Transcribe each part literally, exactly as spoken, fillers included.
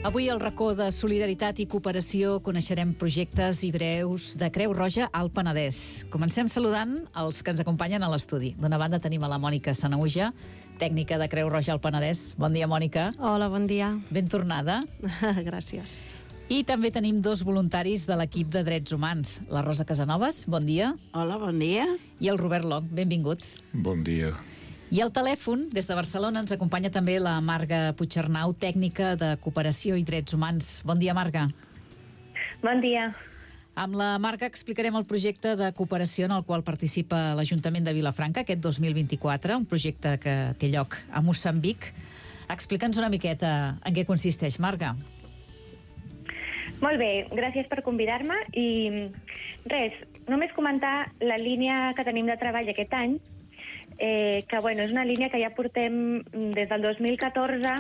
Avui al racó de solidaritat i cooperació coneixerem projectes i breus de Creu Roja al Penedès. Comencem saludant els que ens acompanyen a l'estudi. D'una banda tenim a la Mònica Sanahuja, tècnica de Creu Roja al Penedès. Bon dia, Mònica. Hola, bon dia. Ben tornada. Gràcies. I també tenim dos voluntaris de l'equip de Drets Humans. La Rosa Casanovas, bon dia. Hola, bon dia. I el Robert Long, benvingut. Bon dia. I al telèfon, des de Barcelona, ens acompanya també la Marga Puigcernau, tècnica de cooperació i drets humans. Bon dia, Marga. Bon dia. Amb la Marga explicarem el projecte de cooperació en el qual participa l'Ajuntament de Vilafranca aquest dos mil vint-i-quatre, un projecte que té lloc a Moçambic. Explica'ns una miqueta en què consisteix, Marga. Molt bé, gràcies per convidar-me i res, només comentar la línia que tenim de treball aquest any, eh, que bueno, és una línia que ja portem des del dos mil catorze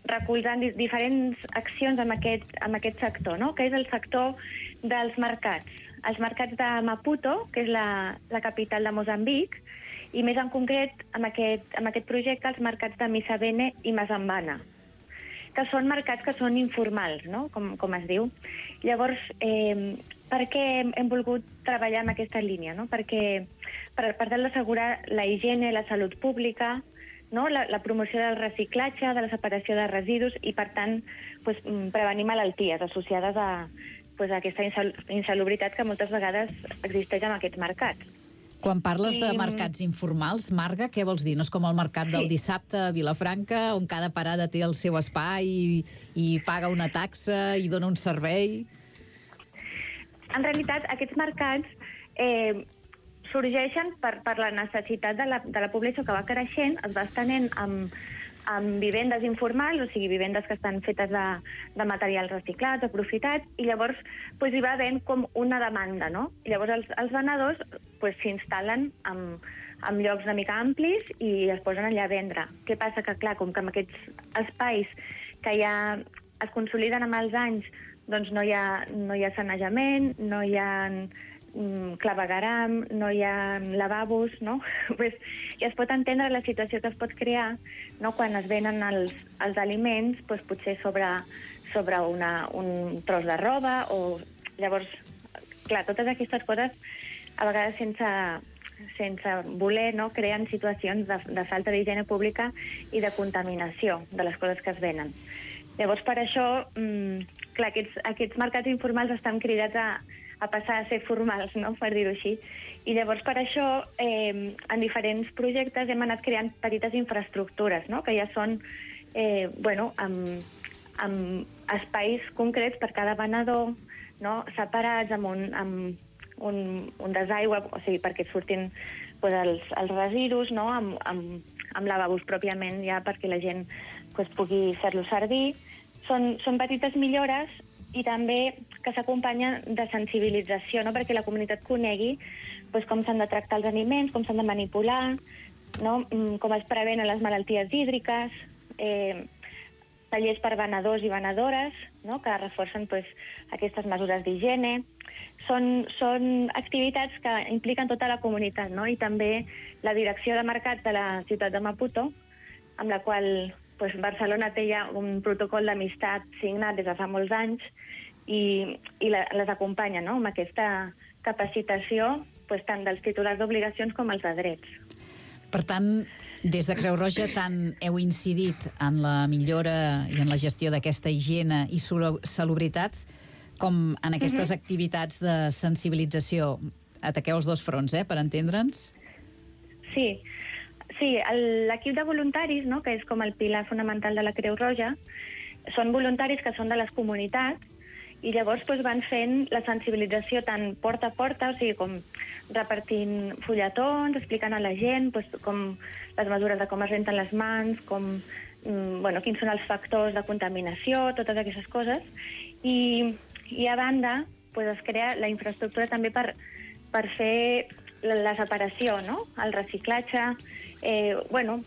recolzant diferents accions en aquest, en aquest sector, no? Que és el sector dels mercats. Els mercats de Maputo, que és la, la capital de Moçambic, i més en concret, amb aquest, amb aquest projecte, els mercats de Misabene i Mazambana, que són mercats que són informals, no? com, com es diu. Llavors, eh, per què hem, hem volgut treballar en aquesta línia? No? Perquè per, per tal d'assegurar la higiene, la salut pública, no? la, la promoció del reciclatge, de la separació de residus i, per tant, pues, prevenir malalties associades a, pues, a aquesta insal insalubritat que moltes vegades existeix en aquests mercats. Quan parles I... de mercats informals, Marga, què vols dir? No és com el mercat del sí. dissabte a Vilafranca, on cada parada té el seu espai i, i paga una taxa i dona un servei? En realitat, aquests mercats eh, sorgeixen per, per la necessitat de la, de la població que va creixent, es va estenent amb, amb vivendes informals, o sigui, vivendes que estan fetes de, de materials reciclats, aprofitats, i llavors pues, hi va havent com una demanda, no? I llavors els, els venedors pues, s'instal·len en, en llocs una mica amplis i es posen allà a vendre. Què passa? Que, clar, com que amb aquests espais que ja es consoliden amb els anys, doncs no hi ha, no hi ha sanejament, no hi ha mm, clavegueram, no hi ha lavabos, no? Pues, ja es pot entendre la situació que es pot crear, no? Quan es venen els, els aliments, pues, potser sobre, sobre una, un tros de roba, o llavors, clar, totes aquestes coses, a vegades sense, sense voler, no? Creen situacions de, de falta d'higiene pública i de contaminació de les coses que es venen. Llavors, per això, mmm, clar, aquests, aquests mercats informals estan cridats a, a passar a ser formals, no? Per dir-ho així. I llavors, per això, eh, en diferents projectes hem anat creant petites infraestructures, no? Que ja són, eh, bueno, amb, amb espais concrets per cada venedor, no? Separats amb un, amb un, un desaigüe, o sigui, perquè surtin pues, els, els residus, no? Amb, amb, amb lavabos pròpiament ja perquè la gent pues, pugui fer-lo servir. Són, són petites millores i també que s'acompanyen de sensibilització, no? Perquè la comunitat conegui pues, com s'han de tractar els aliments, com s'han de manipular, no? Com es prevenen les malalties hídriques, eh, tallers per venedors i venedores, no? Que reforcen pues, aquestes mesures d'higiene. Són, són activitats que impliquen tota la comunitat, no? I també la direcció de mercat de la ciutat de Maputo, amb la qual pues, Barcelona té ja un protocol d'amistat signat des de fa molts anys i, i la, les acompanya, no? Amb aquesta capacitació pues, tant dels titulars d'obligacions com els de drets. Per tant, des de Creu Roja tant heu incidit en la millora i en la gestió d'aquesta higiene i salubritat com en aquestes uh-huh. activitats de sensibilització. Ataqueu els dos fronts, eh, per entendre'ns? Sí, sí, l'equip de voluntaris, no, que és com el pilar fonamental de la Creu Roja, són voluntaris que són de les comunitats i llavors pues, van fent la sensibilització tant porta a porta, o sigui, com repartint fulletons, explicant a la gent pues, com les mesures de com es renten les mans, com, mm, bueno, quins són els factors de contaminació, totes aquestes coses. I, i a banda pues, es crea la infraestructura també per, per fer la, la separació, no? El reciclatge, eh, bueno,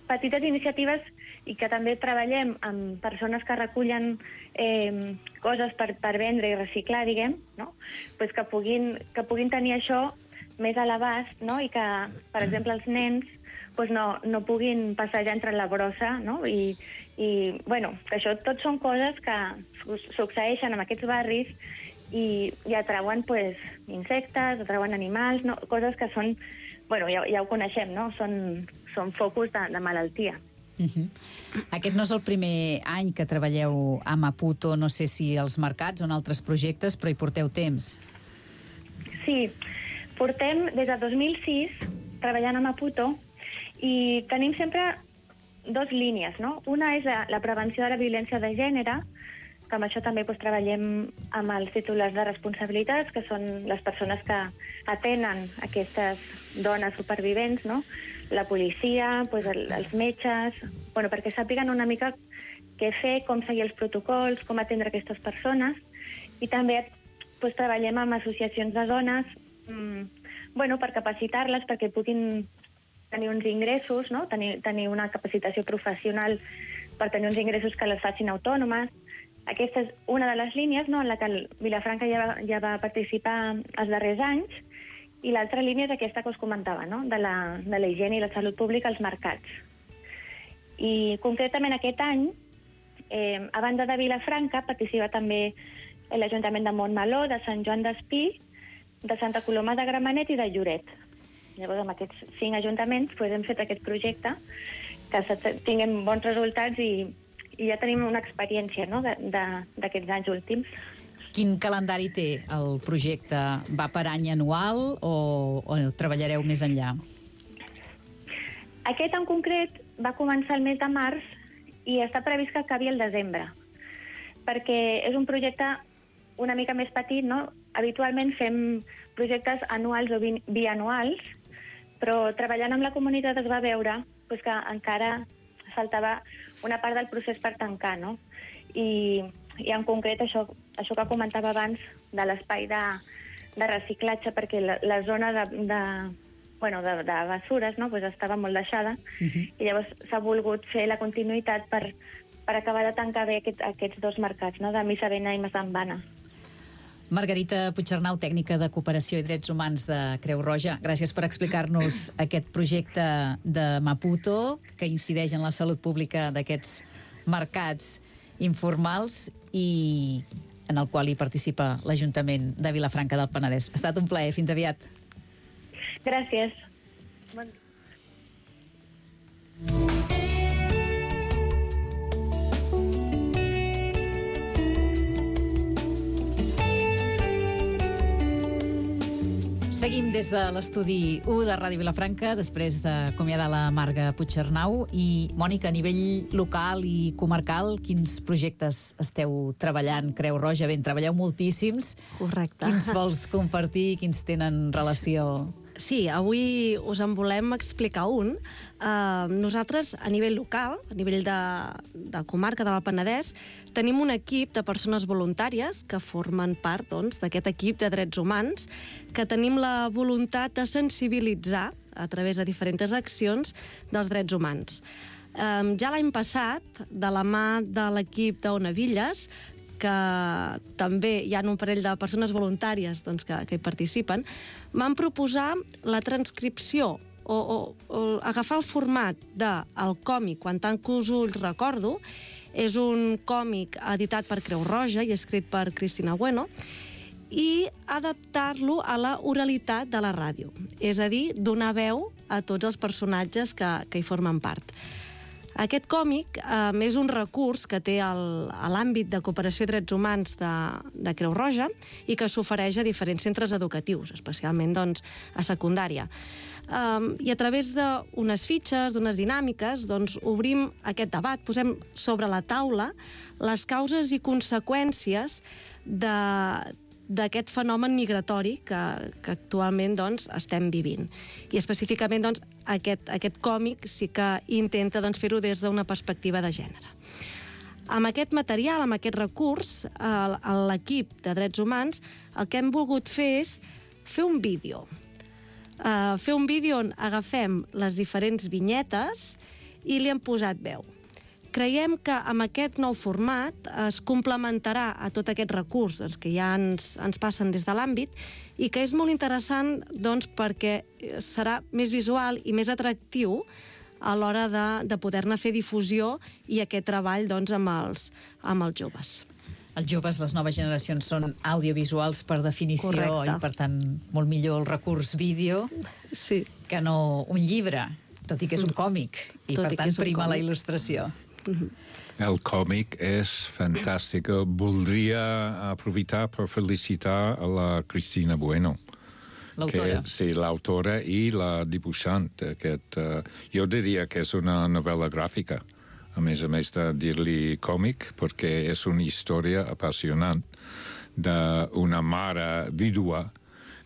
petites iniciatives i que també treballem amb persones que recullen eh, coses per, per vendre i reciclar, diguem, no? Pues que, puguin, que puguin tenir això més a l'abast, no? I que, per exemple, els nens pues no, no puguin passejar entre la brossa, no? I, I, bueno, que això tot són coses que succeeixen en aquests barris i, i atrauen pues, insectes, atrauen animals, no? Coses que són, bueno, ja, ja ho coneixem, no? Són, són focus de, de malaltia. Uh-huh. Aquest no és el primer any que treballeu a Maputo, no sé si als mercats o en altres projectes, però hi porteu temps. Sí, portem des de dos mil sis treballant a Maputo i tenim sempre dos línies, no? Una és la, la prevenció de la violència de gènere, que amb això també doncs, treballem amb els titulars de responsabilitats, que són les persones que atenen aquestes dones supervivents, no? La policia, doncs, el, els metges, bueno, perquè sàpiguen una mica què fer, com seguir els protocols, com atendre aquestes persones, i també doncs, treballem amb associacions de dones mmm, bueno, per capacitar-les perquè puguin tenir uns ingressos, no? tenir, tenir una capacitació professional per tenir uns ingressos que les facin autònomes. Aquesta és una de les línies, no?, en la que el Vilafranca ja va, ja va participar els darrers anys, i l'altra línia és aquesta que us comentava, no?, de la, de la higiene i la salut pública als mercats. I concretament aquest any, eh, a banda de Vilafranca, participa també l'Ajuntament de Montmeló, de Sant Joan d'Espí, de Santa Coloma de Gramenet i de Lloret. Llavors, amb aquests cinc ajuntaments pues, hem fet aquest projecte, que tinguem bons resultats i, i ja tenim una experiència, no?, d'aquests anys últims. Quin calendari té el projecte? Va per any anual o, o treballareu més enllà? Aquest en concret va començar el mes de març i està previst que acabi el desembre, perquè és un projecte una mica més petit, no? Habitualment fem projectes anuals o bi bianuals, però treballant amb la comunitat es va veure pues, que encara faltava una part del procés per tancar, no? I, i en concret això, això que comentava abans de l'espai de, de reciclatge, perquè la, la zona de, de, bueno, de, de bessures no? pues estava molt deixada, uh-huh. i llavors s'ha volgut fer la continuïtat per, per acabar de tancar bé aquest, aquests dos mercats, no? De Missabena i Massambana. Margarita Puigcernau, tècnica de cooperació i drets humans de Creu Roja, gràcies per explicar-nos aquest projecte de Maputo que incideix en la salut pública d'aquests mercats informals i en el qual hi participa l'Ajuntament de Vilafranca del Penedès. Ha estat un plaer. Fins aviat. Gràcies. Bon... Seguim des de l'estudi u de Ràdio Vilafranca, després d'acomiadar la Marga Puigcernau. I, Mònica, a nivell local i comarcal, quins projectes esteu treballant? Creu Roja, ben, treballeu moltíssims. Correcte. Quins vols compartir? Quins tenen relació? Sí, avui us en volem explicar un. Uh, nosaltres, a nivell local, a nivell de, de comarca del Penedès, tenim un equip de persones voluntàries que formen part doncs, d'aquest equip de drets humans, que tenim la voluntat de sensibilitzar a través de diferents accions dels drets humans. Um, ja l'any passat, de la mà de l'equip d'Onavilles, que també hi ha un parell de persones voluntàries doncs, que, que hi participen, van proposar la transcripció o, o, o agafar el format del còmic Quan tanco els ulls recordo. És un còmic editat per Creu Roja i escrit per Cristina Bueno, i adaptar-lo a la oralitat de la ràdio, és a dir, donar veu a tots els personatges que, que hi formen part. Aquest còmic eh, és un recurs que té el, a l'àmbit de cooperació i drets humans de, de Creu Roja i que s'ofereix a diferents centres educatius, especialment doncs, a secundària. Um, I a través d'unes fitxes, d'unes dinàmiques, doncs, obrim aquest debat, posem sobre la taula les causes i conseqüències de, d'aquest fenomen migratori que, que actualment doncs, estem vivint. I específicament doncs, aquest, aquest còmic sí que intenta doncs, fer-ho des d'una perspectiva de gènere. Amb aquest material, amb aquest recurs, l'equip de drets humans el que hem volgut fer és fer un vídeo. Uh, fer un vídeo on agafem les diferents vinyetes i li hem posat veu. Creiem que amb aquest nou format es complementarà a tot aquest recurs doncs, que ja ens, ens passen des de l'àmbit i que és molt interessant doncs, perquè serà més visual i més atractiu a l'hora de, de poder-ne fer difusió i aquest treball doncs, amb, els, amb els joves. Els joves, les noves generacions, són audiovisuals per definició. Correcte. I, per tant, molt millor el recurs vídeo sí. que no un llibre, tot i que és un còmic. I, tot per i tant, prima còmic. La il·lustració. Mm-hmm. El còmic és fantàstic. Voldria aprofitar per felicitar a la Cristina Bueno. L'autora. Sí, l'autora i la dibuixant. Aquest, uh, jo diria que és una novel·la gràfica, a més a més de dir-li còmic, perquè és una història apassionant d'una mare vídua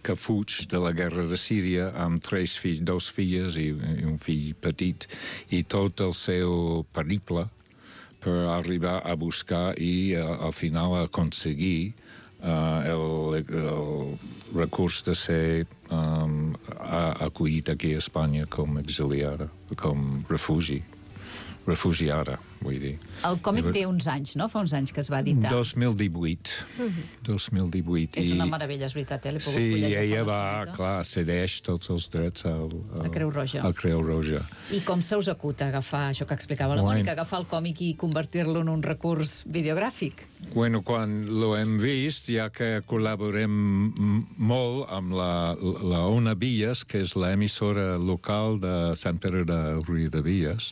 que fuig de la guerra de Síria amb tres fills, dos filles i un fill petit, i tot el seu periple per arribar a buscar i uh, al final aconseguir uh, el, el recurs de ser um, acollit aquí a Espanya com exiliada, com refugi. refugiada, vull dir. El còmic té uns anys, no? Fa uns anys que es va editar. dos mil divuit. Uh-huh. dos mil divuit. És una meravella, és veritat, eh? L'he pogut sí, fullejar ella fa va, una clar, cedeix tots els drets al, al, a Creu Roja. Al Creu Roja. I com se us acuta agafar això que explicava la Bueno. Mònica, agafar el còmic i convertir-lo en un recurs videogràfic? Bueno, quan lo hem vist, ja que col·laborem molt amb la, la Ona Villas, que és l'emissora local de Sant Pere de Riudebitlles,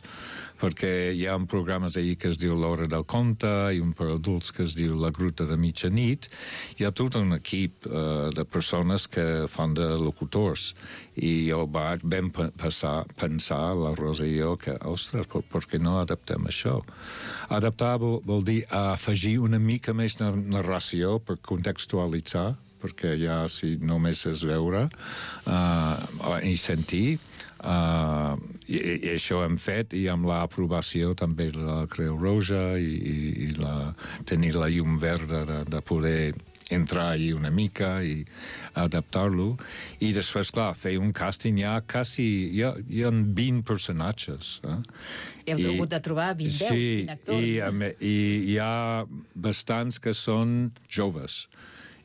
perquè hi ha un programa ahir que es diu L'Hora del Conte i un per adults que es diu La Gruta de Mitjanit. Hi ha tot un equip uh, de persones que fan de locutors i jo vaig ben passar, pensar, la Rosa i jo, que, ostres, per, per què no adaptem això? Adaptar vol, vol dir afegir una mica més de narració per contextualitzar, perquè ja si només és veure uh, i sentir, Uh, i, i això hem fet, i amb l'aprovació també de la Creu Roja i, i, i la, tenir la llum verda de, de poder entrar allí una mica i adaptar-lo. I després, clar, fer un càsting ja quasi... Hi ha, hi ha vint personatges. Eh? I heu hagut de trobar vint veus, sí, vint actors. I, i hi ha bastants que són joves.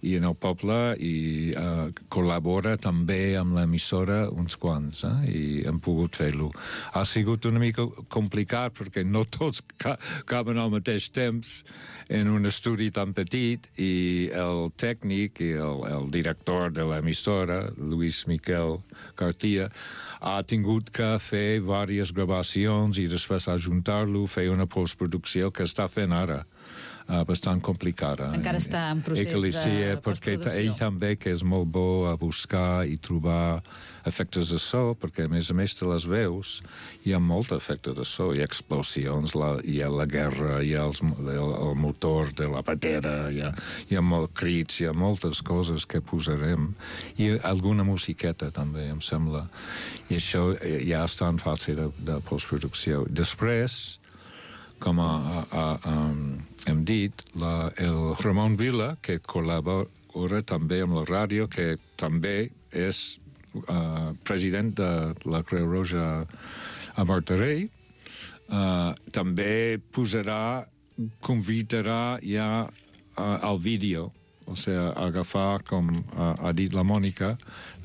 I en el poble i uh, col·labora també amb l'emissora uns quants, eh? I hem pogut fer-lo. Ha sigut una mica complicat perquè no tots ca caben al mateix temps en un estudi tan petit i el tècnic i el, el director de l'emissora, Luis Miquel Gartia, ha tingut que fer diverses gravacions i després ajuntar-lo, fer una postproducció que està fent ara. Uh, bastant complicada. Encara està en procés de perquè postproducció. Ell també, que és molt bo a buscar i trobar efectes de so, perquè a més a més de les veus hi ha molt efecte de so, hi ha explosions, la, hi ha la guerra, hi ha els, el, el motor de la patera, hi ha, hi ha molt crits, hi ha moltes coses que posarem, i alguna musiqueta també, em sembla. I això ja està en fase de, de postproducció. Després, com a, a, a, um, hem dit, la, el Ramon Vila, que col·labora també amb la ràdio, que també és uh, president de la Creu Roja a Martorell, uh, també posarà, convidarà ja uh, al vídeo, o sigui, agafar, com uh, ha dit la Mònica,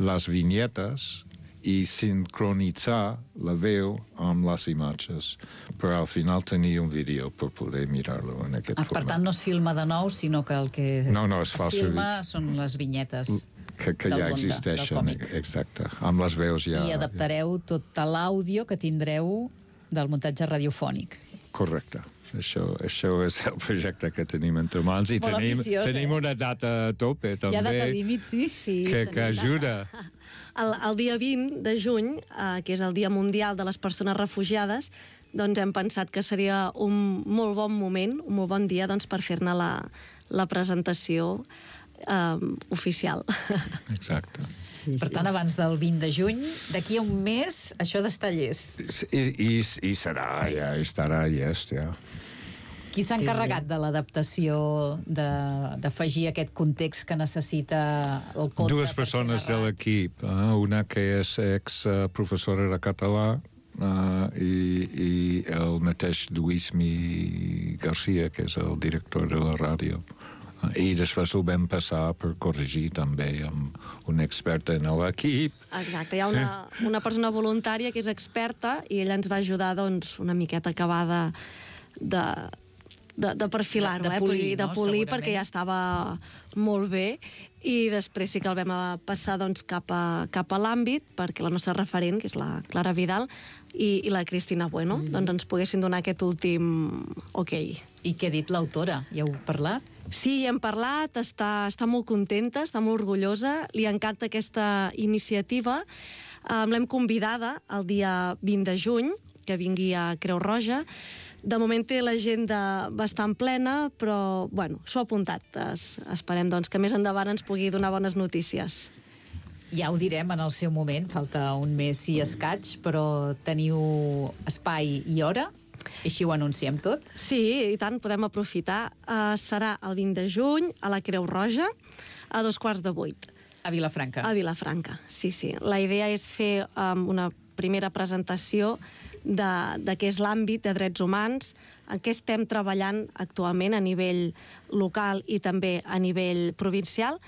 les vinyetes i sincronitzar la veu amb les imatges, per al final tenir un vídeo per poder mirar-lo en aquest ah, format. Per tant, no es filma de nou, sinó que el que no, no, es, es filma són les vinyetes que, que del ja conte, existeixen, del còmic. exacte, amb les veus ja... I adaptareu tot l'àudio que tindreu del muntatge radiofònic. Correcte. Això, això és el projecte que tenim entre mans i Molt tenim, ambiciós, tenim eh? una data a tope també. Hi ha data límit, sí? Sí, que, que ajuda. El, el dia vint de juny, eh, que és el Dia Mundial de les Persones Refugiades, doncs hem pensat que seria un molt bon moment, un molt bon dia doncs, per fer-ne la, la presentació eh, oficial. Exacte. Per tant, abans del vint de juny, d'aquí a un mes, això d'estar llest. I, i, i serà, ja estarà llest, ja. Qui s'ha encarregat de l'adaptació, d'afegir aquest context que necessita el conte? Dues persones de l'equip. Eh? Una que és ex-professora de català uh, i, i el mateix Luis Mi Garcia, que és el director de la ràdio. I després ho vam passar per corregir també amb un expert en l'equip. Exacte, hi ha una, una persona voluntària que és experta i ella ens va ajudar doncs, una miqueta a acabar de, de, de, de perfilar-ho, De- de eh? polir, de no? polir Segurament. perquè ja estava molt bé i després sí que el vam a passar doncs, cap a, cap a l'àmbit perquè la nostra referent, que és la Clara Vidal, i, i la Cristina Bueno, mm. doncs ens poguessin donar aquest últim ok. I què ha dit l'autora? Ja heu parlat? Sí, hem parlat, està, està molt contenta, està molt orgullosa, li encanta aquesta iniciativa. Um, L'hem convidada el dia vint de juny, que vingui a Creu Roja. De moment té l'agenda bastant plena, però bueno, s'ho ha apuntat. Es, esperem doncs, que més endavant ens pugui donar bones notícies. Ja ho direm en el seu moment, falta un mes i escaig, però teniu espai i hora? Així ho anunciem tot? Sí, i tant, podem aprofitar. Uh, serà el vint de juny a la Creu Roja, a dos quarts de vuit. A Vilafranca. A Vilafranca, sí, sí. La idea és fer um, una primera presentació de, de què és l'àmbit de drets humans, en què estem treballant actualment a nivell local i també a nivell provincial.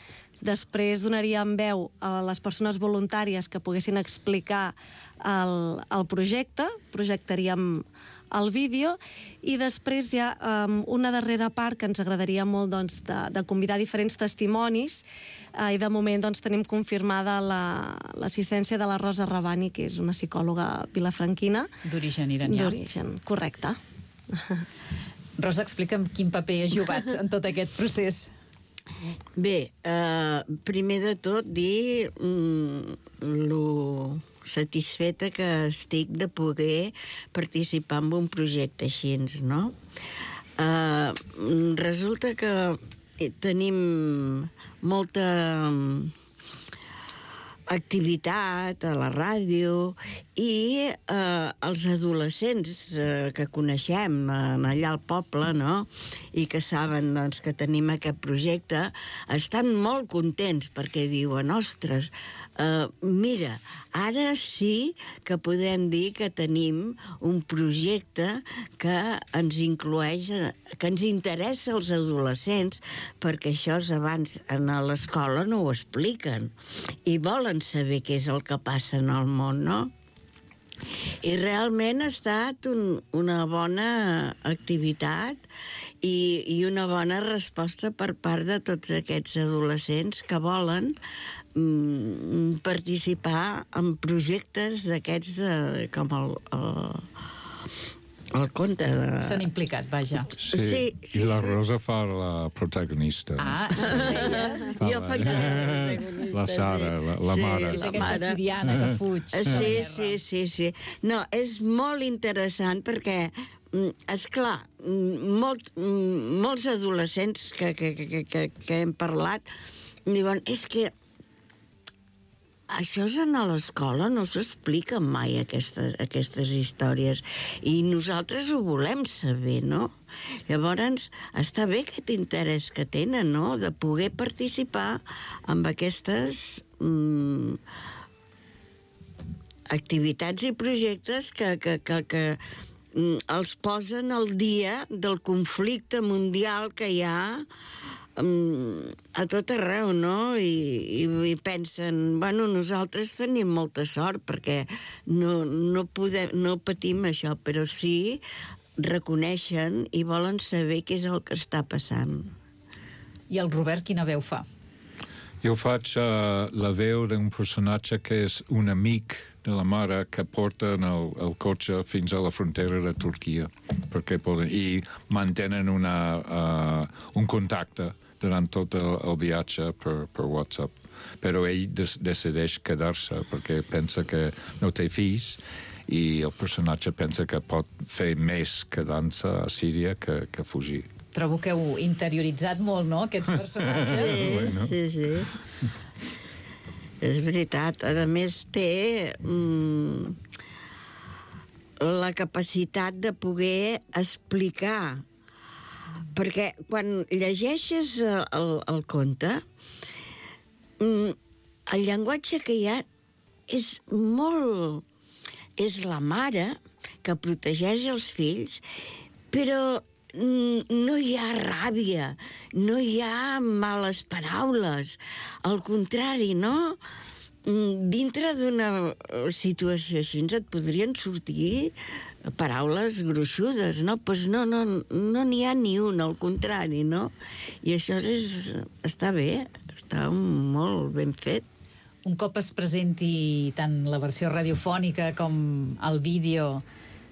Després donaríem veu a les persones voluntàries que poguessin explicar el, el projecte, projectaríem el vídeo, i després hi ha um, una darrera part que ens agradaria molt doncs, de, de convidar diferents testimonis, uh, i de moment doncs, tenim confirmada la- l'assistència de la Rosa Rabani, que és una psicòloga vilafranquina. D'origen iranià. D'origen, correcte. Rosa, explica'm quin paper has jugat en tot aquest procés. Bé, eh, primer de tot dir mm, lo satisfeta que estic de poder participar en un projecte així, no? Eh, resulta que tenim molta activitat a la ràdio i eh, els adolescents eh, que coneixem eh, allà al poble, no?, i que saben doncs, que tenim aquest projecte, estan molt contents perquè diuen, ostres, eh, mira, ara sí que podem dir que tenim un projecte que ens inclueix, que ens interessa als adolescents, perquè això abans a l'escola no ho expliquen i volen saber què és el que passa en el món, no? I realment ha estat un, una bona activitat i, i una bona resposta per part de tots aquests adolescents que volen mm, participar en projectes d'aquests eh, com el, el, el conte de... S'han implicat, vaja. Sí, Sí, sí, i la sí. Rosa fa la protagonista. Ah, això ho deies? Fa Jo la- faig la protagonista, La Sara, la, la sí. mare. Ets La aquesta mare. siriana que fuig. Eh, Sí, sí, sí, sí. No, és molt interessant perquè, mm, esclar, mm, molt, mm, molts adolescents que, que, que, que, que hem parlat diuen, és que això és a l'escola, no s'expliquen mai aquestes, aquestes històries i nosaltres ho volem saber, no? Llavors, està bé aquest interès que tenen, no?, de poder participar en aquestes mm, activitats i projectes que, que, que, que mm, els posen al dia del conflicte mundial que hi ha mm, a tot arreu, no? I, i, i pensen, bueno, nosaltres tenim molta sort perquè no, no, podem, no patim això, però sí reconeixen i volen saber què és el que està passant. I el Robert quina veu fa? Jo faig uh, la veu d'un personatge que és un amic de la mare que porta el, el cotxe fins a la frontera de Turquia perquè poden, i mantenen una, uh, un contacte durant tot el, el viatge per, per WhatsApp. Però ell des, decideix quedar-se perquè pensa que no té fills i el personatge pensa que pot fer més quedant-se a Síria que, que fugir. Trobo que heu interioritzat molt, no?, aquests personatges. Sí, Bueno. sí, sí. És veritat. A més, té mm, la capacitat de poder explicar. Perquè quan llegeixes el, el conte, mm, el llenguatge que hi ha és molt... És la mare que protegeix els fills, però no hi ha ràbia, no hi ha males paraules. Al contrari, no? Dintre d'una situació així et podrien sortir paraules gruixudes, no? Pues no, no, no n'hi ha ni un, al contrari, no? I això és, està bé, està molt ben fet. Un cop es presenti tant la versió radiofònica com el vídeo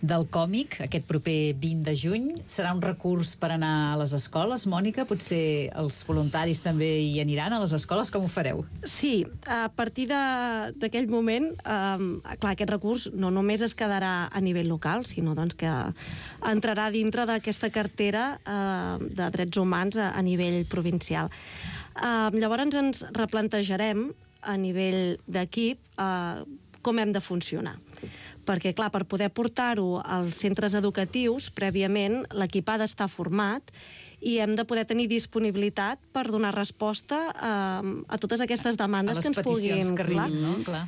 del còmic, aquest proper vint de juny, serà un recurs per anar a les escoles, Mònica? Potser els voluntaris també hi aniran a les escoles? Com ho fareu? Sí, a partir d'aquell moment, eh, clar, aquest recurs no només es quedarà a nivell local, sinó doncs, que entrarà dintre d'aquesta cartera eh, de drets humans a, a nivell provincial. Eh, llavors ens replantejarem a nivell d'equip eh, com hem de funcionar. Perquè, clar, per poder portar-ho als centres educatius, prèviament, l'equip ha d'estar format i hem de poder tenir disponibilitat per donar resposta a, a totes aquestes demandes que ens puguin... A les peticions que arribin, no? Clar.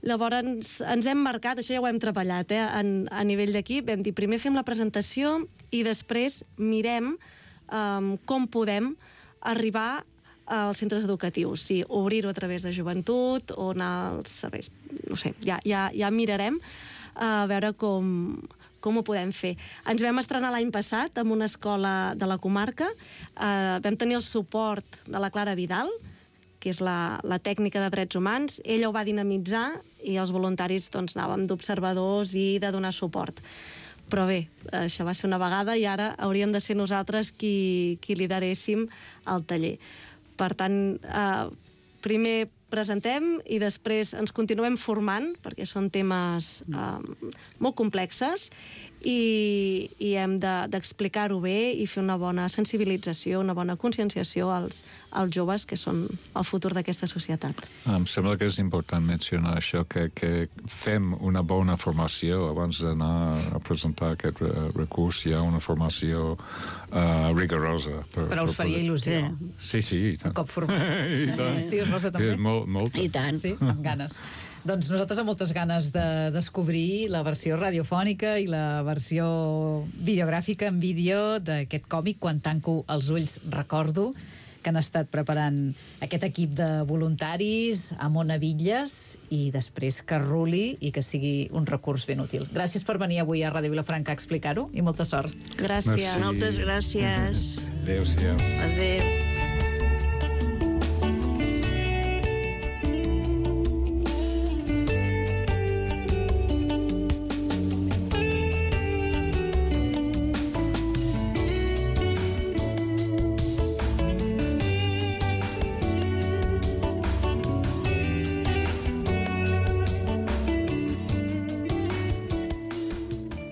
Llavors, ens, ens hem marcat, això ja ho hem treballat, eh, en, a nivell d'equip, hem dit, primer fem la presentació i després mirem um, com podem arribar als centres educatius, sí, obrir-ho a través de joventut o anar als serveis, no sé, ja, ja, ja mirarem a veure com, com ho podem fer. Ens vam estrenar l'any passat en una escola de la comarca, eh, vam tenir el suport de la Clara Vidal, que és la, la tècnica de drets humans, ella ho va dinamitzar i els voluntaris doncs, anàvem d'observadors i de donar suport. Però bé, això va ser una vegada i ara hauríem de ser nosaltres qui, qui lideréssim el taller. Per tant, eh, primer presentem i després ens continuem formant, perquè són temes eh, molt complexes i, i hem d'explicar-ho de, bé i fer una bona sensibilització, una bona conscienciació als, als joves que són el futur d'aquesta societat. Em sembla que és important mencionar això, que, que fem una bona formació abans d'anar a presentar aquest recurs. Hi ha una formació uh, rigorosa. Per, Però us faria il·lusió. Sí, sí, i tant. Un cop formats. I tant. Sí, Rosa, també? I molt, molta. I tant. Sí, amb ganes. Doncs nosaltres amb moltes ganes de descobrir la versió radiofònica i la versió videogràfica en vídeo d'aquest còmic. Quan tanco els ulls recordo que han estat preparant aquest equip de voluntaris a Mona Villes i després que ruli i que sigui un recurs ben útil. Gràcies per venir avui a Ràdio Vilafranca a explicar-ho i molta sort. Gràcies. Merci. Moltes gràcies. Adéu-siau. Adéu.